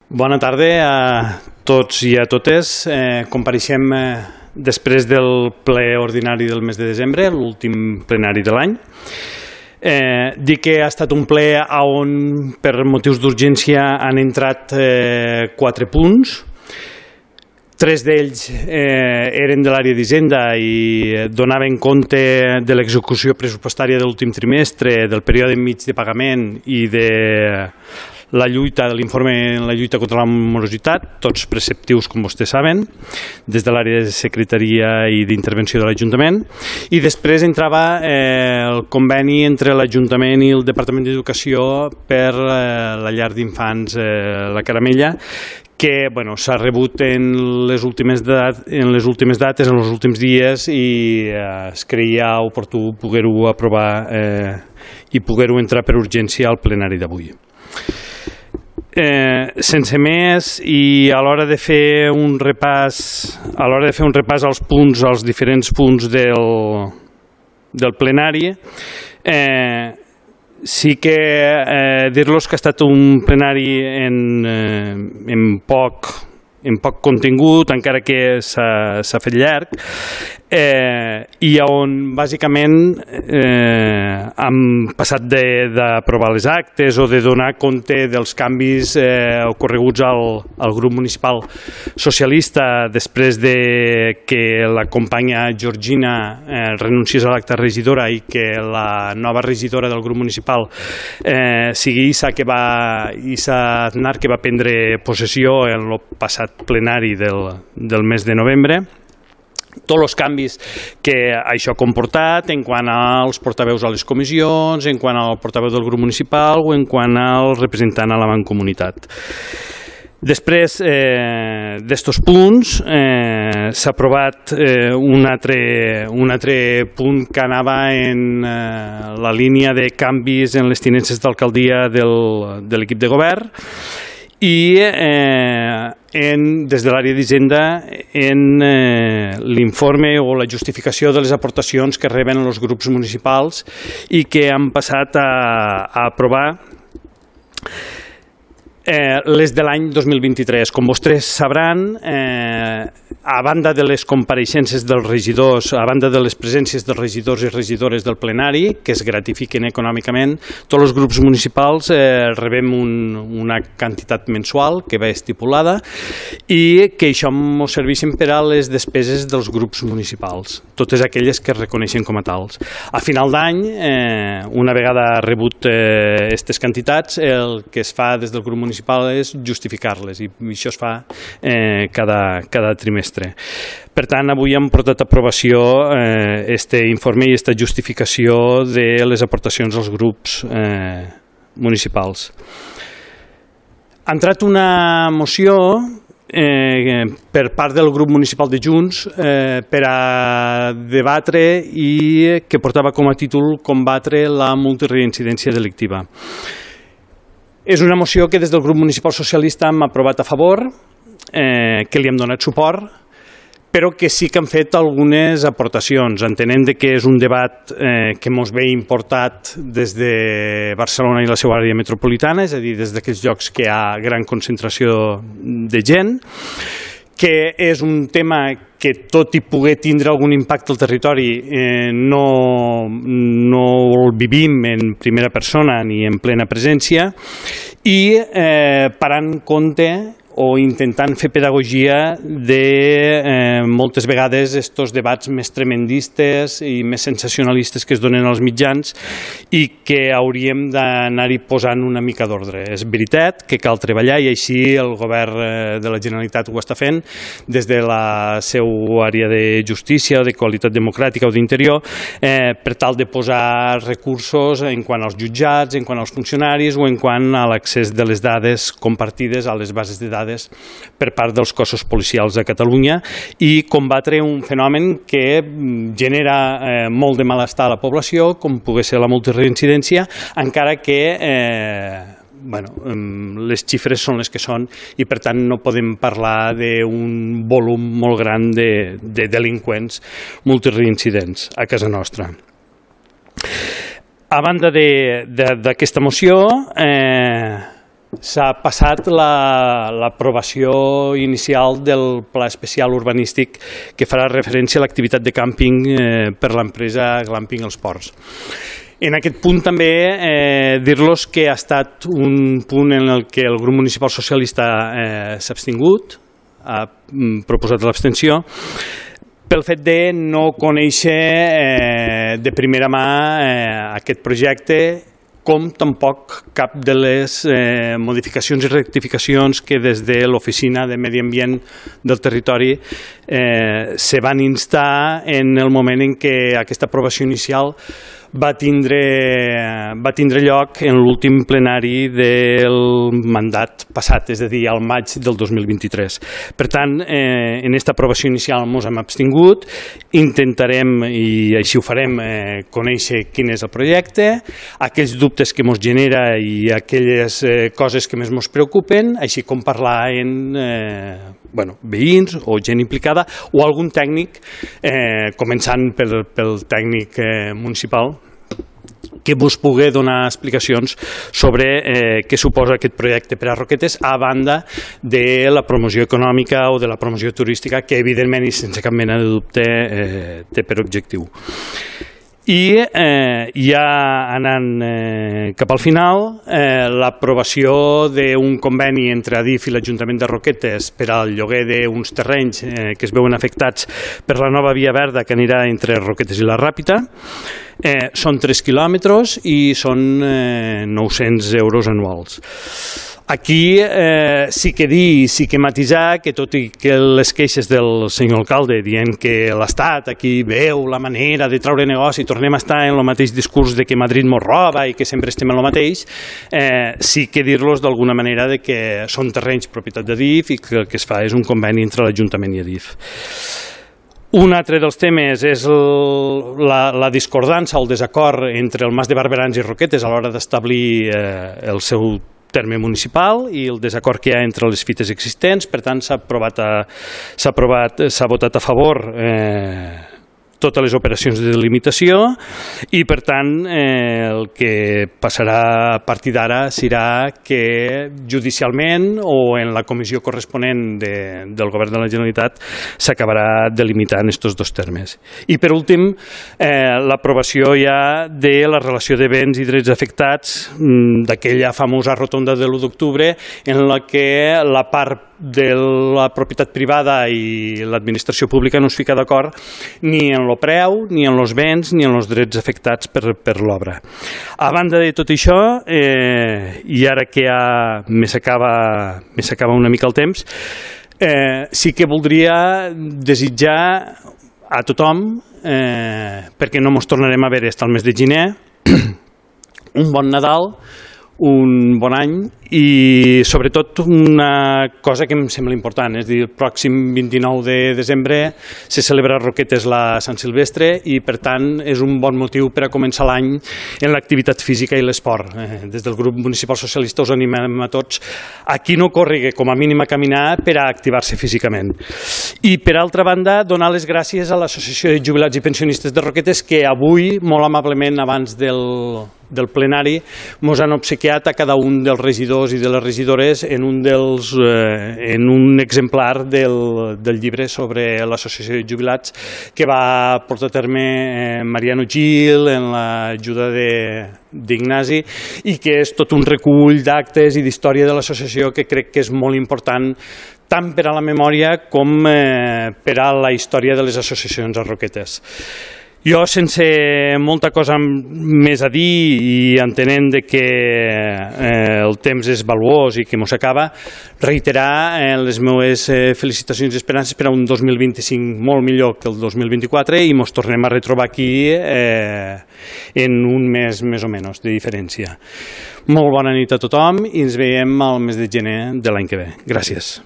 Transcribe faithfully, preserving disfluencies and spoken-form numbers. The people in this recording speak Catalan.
Bona tarda a tots i a totes. Eh, compareixem eh, després del ple ordinari del mes de desembre, l'últim plenari de l'any. Eh, dir que ha estat un ple on per motius d'urgència han entrat eh, quatre punts. Tres d'ells eh, eren de l'àrea d'Hisenda i donaven compte de l'execució pressupostària de l'últim trimestre, del període mig de pagament i de la lluita, de l'informe en la lluita contra la morositat, tots preceptius, com vostès saben, des de l'àrea de secretaria i d'intervenció de l'Ajuntament. I després entrava eh, el conveni entre l'Ajuntament i el Departament d'Educació per eh, la llar d'infants eh, La Caramella, que bueno, s'ha rebut en les, últimes dat en les últimes dates, en els últims dies, i eh, es creia oportú poder-ho aprovar eh, i poder-ho entrar per urgència al plenari d'avui. Eh, sense més, i a l'hora de fer un repàs a l'hora de fer un repàs als punts, als diferents punts del, del plenari, eh, sí que eh, dir-los que ha estat un plenari en, eh, en, poc, en poc contingut, encara que s'ha fet llarg, eh, i on bàsicament eh, hem passat d'aprovar les actes o de donar compte dels canvis eh, ocorreguts al, al grup municipal socialista després de que la companya Georgina eh, renunciés a l'acte regidora i que la nova regidora del grup municipal eh, sigui Issa, que va, Issa Aznar, que va prendre possessió en el passat plenari del, del mes de novembre. Tots els canvis que això ha comportat en quant als portaveus a les comissions, en quant al portaveu del grup municipal o en quant al representant a la mancomunitat. Després eh, d'estos punts eh, s'ha aprovat eh, un, altre, un altre punt que anava en eh, la línia de canvis en les tinences d'alcaldia de l'equip de govern, i eh, en, des de l'àrea d'Hisenda en eh, l'informe o la justificació de les aportacions que reben els grups municipals i que han passat a, a aprovar eh, les de l'any dos mil vint-i-tres. Com vostès sabran, eh, a banda de les compareixences dels regidors, a banda de les presències dels regidors i regidores del plenari, que es gratifiquen econòmicament, tots els grups municipals eh, rebem un, una quantitat mensual que va estipulada i que això ens serveixen per a les despeses dels grups municipals, totes aquelles que es reconeixen com a tals. A final d'any, eh, una vegada rebut aquestes eh, quantitats, el que es fa des del grup municipal és justificar-les, i això es fa eh, cada, cada trimestre. Per tant, avui hem portat a aprovació aquest eh, informe i aquesta justificació de les aportacions als grups eh, municipals. Ha entrat una moció eh, per part del grup municipal de Junts eh, per a debatre i que portava com a títol combatre la multireincidència delictiva. És una moció que des del grup municipal socialista hem aprovat a favor, eh, que li hem donat suport, però que sí que han fet algunes aportacions, entenent que és un debat eh, que ens ve importat des de Barcelona i la seva àrea metropolitana, és a dir, des d'aquells llocs que hi ha gran concentració de gent, que és un tema que, tot i poder tindre algun impacte al territori, eh, no, no el vivim en primera persona ni en plena presència, i eh, parant compte o intentant fer pedagogia de eh, moltes vegades estos debats més tremendistes i més sensacionalistes que es donen als mitjans i que hauríem d'anar-hi posant una mica d'ordre. És veritat que cal treballar i així el govern de la Generalitat ho està fent des de la seva àrea de justícia o de qualitat democràtica o d'interior eh, per tal de posar recursos en quant als jutjats, en quant als funcionaris o en quant a l'accés de les dades compartides a les bases de dades per part dels cossos policials de Catalunya i combatre un fenomen que genera eh, molt de malestar a la població, com pugui ser la multireincidència, encara que eh, bueno, les xifres són les que són i per tant no podem parlar d'un volum molt gran de, de delinqüents multireincidents a casa nostra. A banda d'aquesta moció, eh, s'ha passat l'aprovació la, inicial del Pla Especial Urbanístic que farà referència a l'activitat de càmping eh, per l'empresa Glamping Els Ports. En aquest punt també eh, dir-los que ha estat un punt en el que el grup municipal socialista eh, s'ha abstingut, ha proposat l'abstenció, pel fet de no conèixer eh, de primera mà eh, aquest projecte, com tampoc cap de les eh, modificacions i rectificacions que des de l'Oficina de Medi Ambient del territori eh, se van instar en el moment en què aquesta aprovació inicial va tindre, va tindre lloc en l'últim plenari del mandat passat, és a dir, al maig del dos mil vint-i-tres. Per tant, eh, en aquesta aprovació inicial ens hem abstingut, intentarem, i així ho farem, eh, conèixer quin és el projecte, aquells dubtes que ens genera i aquelles eh, coses que més ens preocupen, així com parlar en eh, bueno, veïns o gent implicada o algun tècnic, eh, començant pel, pel tècnic eh, municipal, que vos pugui donar explicacions sobre eh, què suposa aquest projecte per a Roquetes, a banda de la promoció econòmica o de la promoció turística, que evidentment i sense cap mena de dubte eh, té per objectiu. I eh, ja anant eh, cap al final, eh, l'aprovació d'un conveni entre Adif i l'Ajuntament de Roquetes per al lloguer d'uns terrenys eh, que es veuen afectats per la nova via verda que anirà entre Roquetes i la Ràpita. Eh, són tres quilòmetres i són eh, nou-cents euros anuals. Aquí eh, sí que dir, sí que matisar que tot i que les queixes del senyor alcalde dient que l'Estat aquí veu la manera de treure negoci, tornem a estar en el mateix discurs de que Madrid mos roba i que sempre estem en el mateix, eh, sí que dir-los d'alguna manera de que són terrenys propietat d'Adif i que el que es fa és un conveni entre l'Ajuntament i Adif. Un altre dels temes és el, la, la discordança o el desacord entre el Mas de Barberans i Roquetes a l'hora d'establir eh, el seu terme municipal i el desacord que hi ha entre les fites existents. Per tant, s'ha aprovat, s'ha aprovat, s'ha votat a favor eh, totes les operacions de delimitació i, per tant, eh, el que passarà a partir d'ara serà que judicialment o en la comissió corresponent de, del Govern de la Generalitat s'acabarà delimitant aquests dos termes. I, per últim, eh, l'aprovació ja de la relació de béns i drets afectats d'aquella famosa rotonda de l'u d'octubre en la que la part de la propietat privada i l'administració pública no es fica d'acord ni en el preu, ni en els béns, ni en els drets afectats per, per l'obra. A banda de tot això, eh, i ara que ja me s'acaba una mica el temps, eh, sí que voldria desitjar a tothom, eh, perquè no ens tornarem a veure fins al mes de gener, un bon Nadal, un bon any i sobretot una cosa que em sembla important, és a dir, el pròxim vint-i-nou de desembre se celebra a Roquetes la Sant Silvestre i per tant és un bon motiu per a començar l'any en l'activitat física i l'esport. Eh, des del grup municipal socialista us animem a tots a qui no corri com a mínim a caminar per a activar-se físicament. I per altra banda donar les gràcies a l'Associació de Jubilats i Pensionistes de Roquetes que avui molt amablement abans del del plenari ens han obsequiat a cada un dels regidors i de les regidores en un, dels, eh, en un exemplar del, del llibre sobre l'Associació de Jubilats que va portar a terme eh, Mariano Gil en l'ajuda d'Ignasi i que és tot un recull d'actes i d'història de l'associació que crec que és molt important tant per a la memòria com eh, per a la història de les associacions a Roquetes. Jo, sense molta cosa més a dir i entenent que eh, el temps és valuós i que mos acaba, reiterar eh, les meves eh, felicitacions i esperances per a un dos mil vint-i-cinc molt millor que el dos mil vint-i-quatre i mos tornem a retrobar aquí eh, en un mes més o menys de diferència. Molt bona nit a tothom i ens veiem al mes de gener de l'any que ve. Gràcies.